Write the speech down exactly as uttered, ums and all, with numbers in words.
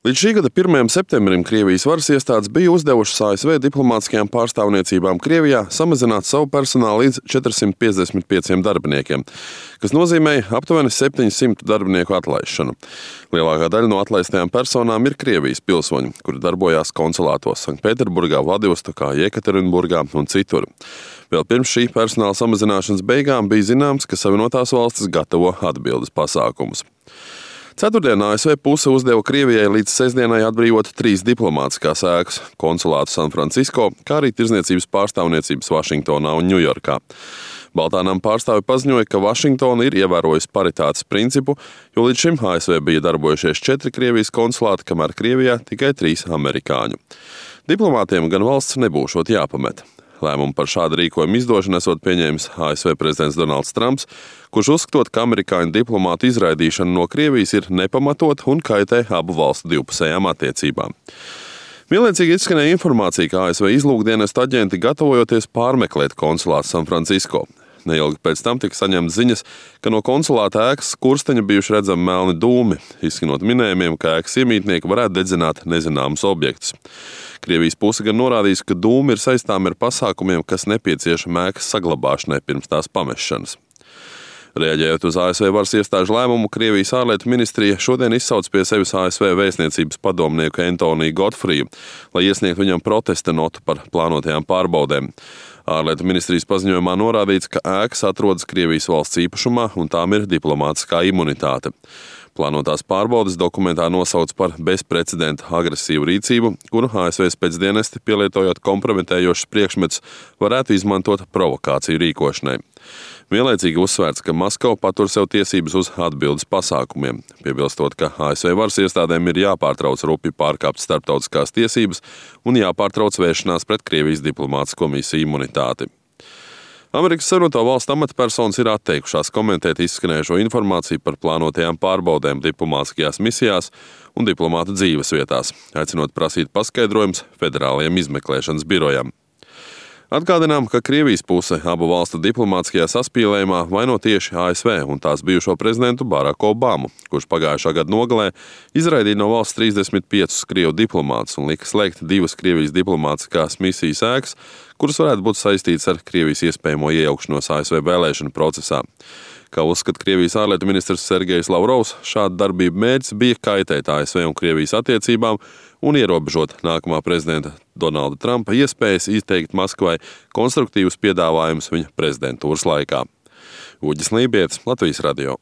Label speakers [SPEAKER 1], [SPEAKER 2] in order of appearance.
[SPEAKER 1] Līdz šī gada pirmajam septembrim Krievijas varas iestādes bija uzdevušas A S V diplomātiskajām pārstāvniecībām Krievijā samazināt savu personālu līdz četrsimt piecdesmit pieciem darbiniekiem, kas nozīmēja aptuveni septiņsimt darbinieku atlaišanu. Lielākā daļa no atlaistajām personām ir Krievijas pilsoņi, kuri darbojās konsulātos Sanktpēterburgā, Vladivostokā, Jekaterinburgā un citur. Vēl pirms šī personāla samazināšanas beigām bija zināms, ka Savienotās valstis gatavo atbildes pasākumus. Ceturtdien A S V puse uzdeva Krievijai līdz sestdienai atbrīvot trīs diplomātiskās ēkas – konsulātu Sanfrancisko, kā arī tirdzniecības pārstāvniecības Vašingtonā un Ņujorkā. Baltānam pārstāvi paziņoja, ka Vašingtona ir ievērojusi paritātes principu, jo līdz šim A S V bija darbojušies četri Krievijas konsulāti, kamēr Krievijā tikai trīs amerikāņu. Diplomātiem gan valsts nebūšot jāpamet. Lēmumu par šādu rīkojumu izdošanu esot pieņēmis A S V prezidents Donalds Trumps, kurš uzskatot, ka amerikāņu diplomātu izraidīšana no Krievijas ir nepamatot un kaitē abu valstu divpusējām attiecībām. Vienlaicīgi izskanēja informācija, ka A S V izlūkdienestu aģenti gatavojoties pārmeklēt konsulātu Sanfrancisko. Neilgi pēc tam tika saņemts ziņas, ka no konsulāta ēkas skursteņa bijuši redzami melni dūmi, izskanot minējumiem, ka ēkas iemītnieki varētu dedzināt nezināmus objektus. Krievijas puse gan norādījusi, ka dūmi ir saistām ar pasākumiem, kas nepieciešami ēkas saglabāšanai pirms tās pamešanas. Reaģējot uz A S V varas iestāžu lēmumu, Krievijas ārlietu ministrija šodien izsauc pie sevis A S V vēstniecības padomnieku Antoniju Godfriju, lai iesniegtu viņam protesta notu par plānotajām pārbaudēm. Ārlietu ministrijas paziņojumā norādīts, ka ēkas atrodas Krievijas valsts īpašumā un tām ir diplomātiskā imunitāte. Plānotās pārbaudes dokumentā nosauc par bezprecedenta agresīvu rīcību, kuru A S V spēcdienesti, pielietojot kompromitējošus priekšmetus, varētu izmantot provokāciju rīkošanai. Vienlaicīgi uzsvērts, ka Maskava patur sev tiesības uz atbildes pasākumiem, piebilstot, ka A S V varas iestādēm ir jāpārtrauc rupi pārkāpt starptautiskās tiesības un jāpārtrauc vēršanās pret Krievijas diplomātisko misiju imunitāti. Amerikas Savienoto Valstu amatpersonas ir atteikušās komentēt izskanējušo informāciju par plānotajām pārbaudēm diplomātiskajās misijās un diplomātu dzīves vietās, aicinot prasīt paskaidrojums federālajiem izmeklēšanas birojam. Atgādinām, ka Krievijas puse abu valstu diplomātiskajā saspīlējumā vaino tieši A S V un tās bijušo prezidentu Baraku Obamu, kurš pagājušā gada nogalē izraidīja no valsts trīsdesmit piecus krievu diplomātus un lika slēgt divas Krievijas diplomātiskās misijas ēkas, kuras varētu būt saistītas ar Krievijas iespējamo iejaukšanos A S V vēlēšanu procesā. Kā uzskata Krievijas ārlietu ministrs Sergejs Lavrovs, šāda darbība mērķis bija kaitēt A S V un Krievijas attiecībām un ierobežot nākamā prezidenta Donalda Trumpa iespējas izteikt Maskavai konstruktīvus piedāvājumus viņa prezidentūras laikā. Uģis Lībietis, Latvijas radio.